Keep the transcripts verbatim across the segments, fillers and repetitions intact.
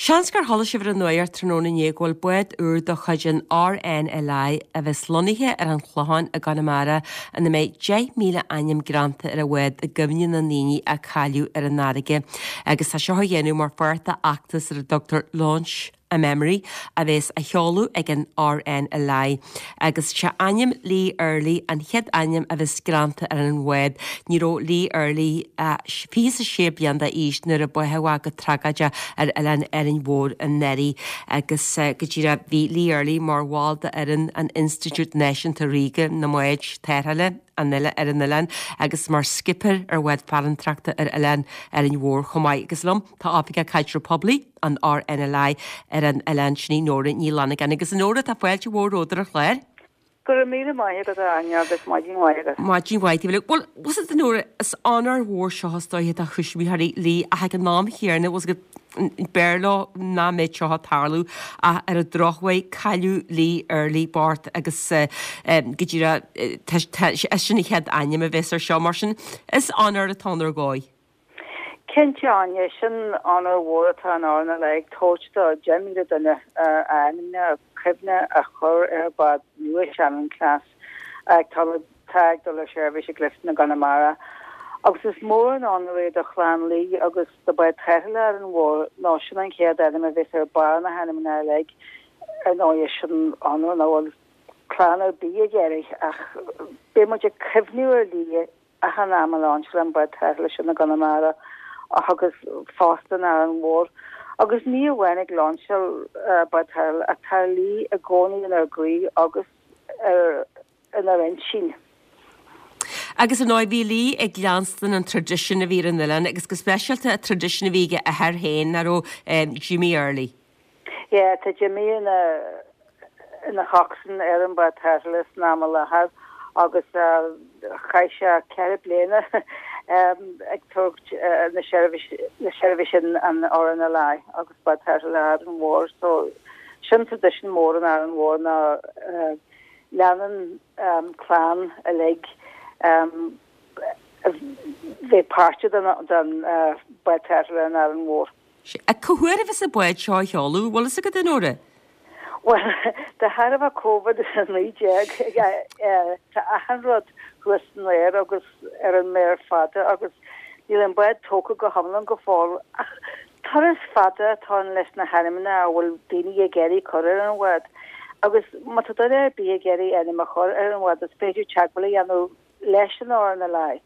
Seans gur chuala sibh ar an nuacht tráthnóna inné go bhfuil bád úr de chuid an RNLI a bheas lonnaithe ar an Chlochán i gConamara ina mbeidh deich míle ainm greanta ar an bhád i gcuimhne na ndaoine a cailleadh ar an fharraige agus tá seo á dhéanamh mar pháirt d'fheachtas ar a dtugtar Launch a Memory a bheas á sheoladh ag an RNLI agus sé ainm Lee Earley an chéad ainm a bheas greanta ar an bhád. Ní raibh Lee Earley fiche is sé bliain d'aois nuair a báthadh é go tragóideach ar oileán Árainn Mhór anuraidh agus go díreach bhí Lee Earley mar bhall d'fhoireann an Institiúid Náisiúnta Ríoga na mBád Tarrthála an ar an oileán agus mar skipper ar bhád farantóireachta ar oileán Árainn Mhór chomh maith. Agus liom tá Oifigeach Caidrimh Poiblí an RNLI ar an oileán sin Nóra Ní Fhlannagáin agus Nóra tá fáilte mhór romhat ar an chlár. Go raibh míle maith agat Áine agus maidin mhaith agat. Maidin mhaith Bhuel was it Nóra is onóir mhór seo is dóiche do thuismitheoirí Lee ach ag an am chéanna was go b'fhearr leo nach mbeadh seo ag tarlú ach ar an drochuair cailleadh Lee Earley bocht agus go díreach sin an chéad ainm a bheas ar seo mar sin is onóir atá ann ar dhóigh. Cinnte Áine sin onóir mhór atá an RNLI ag tabhairt do deich míle duine ainmne cuimhne a chur ar bhád nua Shannon class ag tá ag dul ar seirbhís i gClifton i gConamara. Agus is mór an onóir é do chlann Lee agus do bhád tarrthála Árainn Mhór ná sin an chéad ainm a bheas ar barr na hainmneacha uilig ar ndóigh sin onóir nach bhfuil clann ar bith ag iarraidh ach beidh muid ag cuimhniú ar Lee achan am a lainseáil an bád tarrthála sin i gConamara agus fosta in Árainn Mhór. Agus ní amháin ag lainseáil bád tarrthála ach tá Lee i gcónaí inár gcroí agus ar inár intinn. Agus an bhí Lee ag leanstan an traidisiún a bhí ar an oileán agus go speisialta an traidisiún a bhí ag a athair féin nach raibh Jimmy Earley. Yeah, tá Jimmy ina ina choxswain ar an bád tarrthála san am i láthair agus chaith sé ceithre bliana ag tabhairt na na seirbhís an RNLI agus bád tarrthála Árainn Mhór so sin traidisiún mór an Árainn Mhór ná leanann clann uilig bheith páirteach den den bád tarrthála in Árainn Mhór. Cá huair a bheas an bád seo á sheoladh, bhfuil fhios agat a Nóra? Well de thairbhe COVID naoi déag tá achan rud thuas san aer agus ar an méar fada agus níl an bád tógtha go hiomlán go fóill ach turas fada atá ann leis na hainmneacha a bhfuil daoine ag iarraidh cur ar an bhád. Agus má tá duine ar bith ag iarraidh ainm a chur ar an bhád is féidir teagmháil a dhéanamh leis an RNLI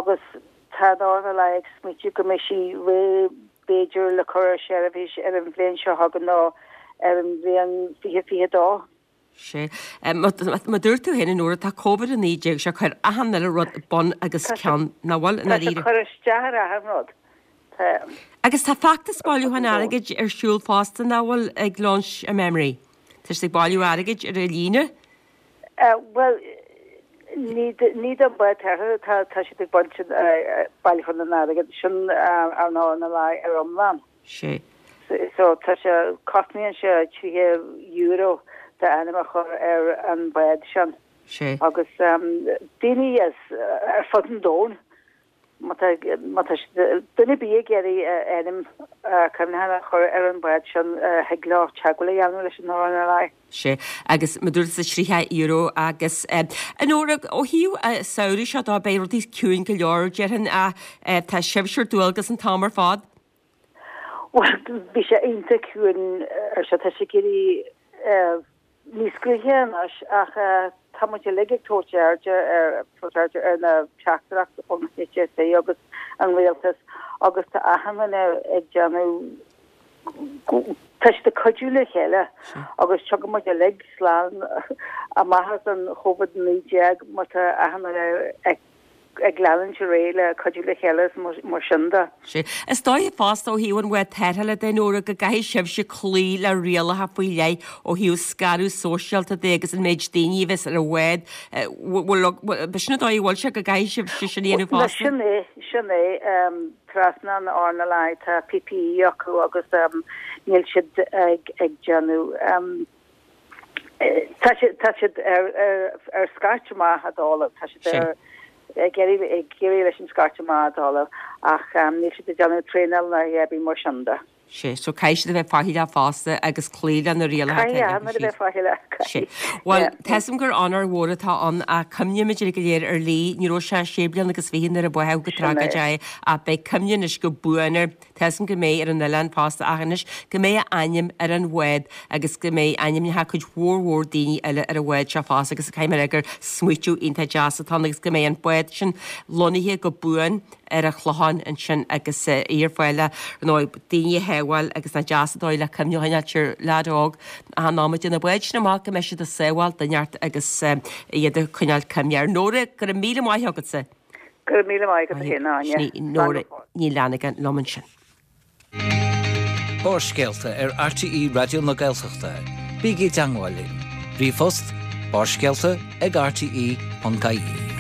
agus tá an RNLI ag smaoitiú go mbeidh sí réidh b'fhéidir le cur ar seirbhís ar an bhliain seo chugainn nó ar an bhliain fiche fiche dó. Sé Má dúirt tú féin nuair atá COVID a naoi déag sé chuir achan uile rud bun agus ceann nach bhfuil Tá sé cur isteach ar achan rud. Agus tá feachtas bailiúchán airgid ar siúl fosta nach bhfuil ag Launch a Memory. Tá sé ag bailiú airgid ar an líne? Well ní ní don bád tarrthála tá tá siad ag baint bailiúchán an airgid sin an RNLI ar iomlán. Sé. So tá sé cosnaíonn sé tríocha euro d'ainm a chur ar an bád sin. Sé. Agus daoine as ar fud an domhain má tá duine ar bith ag iarraidh ainm cuimhneacháin a chur ar an bád sin thig leo teagmháil a dhéanamh leis an RNLI. Sé agus má dúirt sa tríocha euro agus a Nóra ó thaobh samhradh seo dá beidh rudaí ciúin go leor déarfainn a tá sibhse ar dualgas an t-am ar fad. Well bhí sé iontach ciúin ar seo tá sé ag éirí níos gaoithe anois ach tá muid uilig ag tabhairt airde ar tabhairt airde ar na teachtaireacht ón HSE agus an rialtas agus tá achan duine ag déanamh tá siad ag cuidiú le chéile agus tiocfaidh muid uilig slán amach as an COVID naoi déag má tá achan duine ag ag leanúint ar aghaidh le cuidiú le chéile is mar sin de. Sé. Is dóigh fosta ó thaobh an bhád tarrthála de Nóra go gcaithfidh sibhse cloí le rialacha faoi leith ó thaobh scaradh sóisialta de agus an méid daoine a bheas ar an bhád bhfuil sin an dóigh a bhfuil sé go gcaithfidh sibhse sin a dhéanamh fosta. Sin é sin é trasna an RNLI tá PPE acu agus níl siad ag ag déanamh Tá siad tá siad ar ar scairt amach a dul tá siad ar ag iarraidh ag iarraidh leis an scairt amach a dul ach níl siad ag déanamh traenáil ná a bhí mar sin de. Sé, so caithfidh siad a bheith faichilleach fosta agus cloí le na rialacha atá acu Caithfidh a bheith faichilleach, caithfidh. Bhuel, tá 'fhios a'm gur onóir mhór atá ann ach cuimhnímid uilig go léir ar Lee, ní raibh sé sé bliana agus fiche nuair a báthadh go tragóideach é ach beidh cuimhne anois go buan air. Tá 'fhios a'm go mbeidh ar an oileán fosta ach anois go mbeidh a ainm ar an bhád agus go mbeidh ainmneacha cuid mhór mhór daoine eile ar an bhád seo fosta agus caithfidh mé a rá gur smaoitiú iontach deas atá ann agus go mbeidh an bád sin lonnaithe go buan ar an Chlochán ansin agus é ar fáil le, ar ndóigh, daoine a shábháil agus nach deas an dóigh le cuimhne a choinneáilt ar leaid óg achan nóiméad na báid sin amach go mbeidh siad ag sábháil duine inteacht agus iad ag coinneáil cuimhne air. Nóra, go raibh míle maith agatsa. Go raibh míle maith agat féin, a Áine. Sin í Nóra Ní Fhlannagáin liom ansin. Barrscéalta ar RTÉ Raidió na Gaeltachta. Bígí i dteangmháil linn. Ríomhphost, barrscéalta ag rte.ie.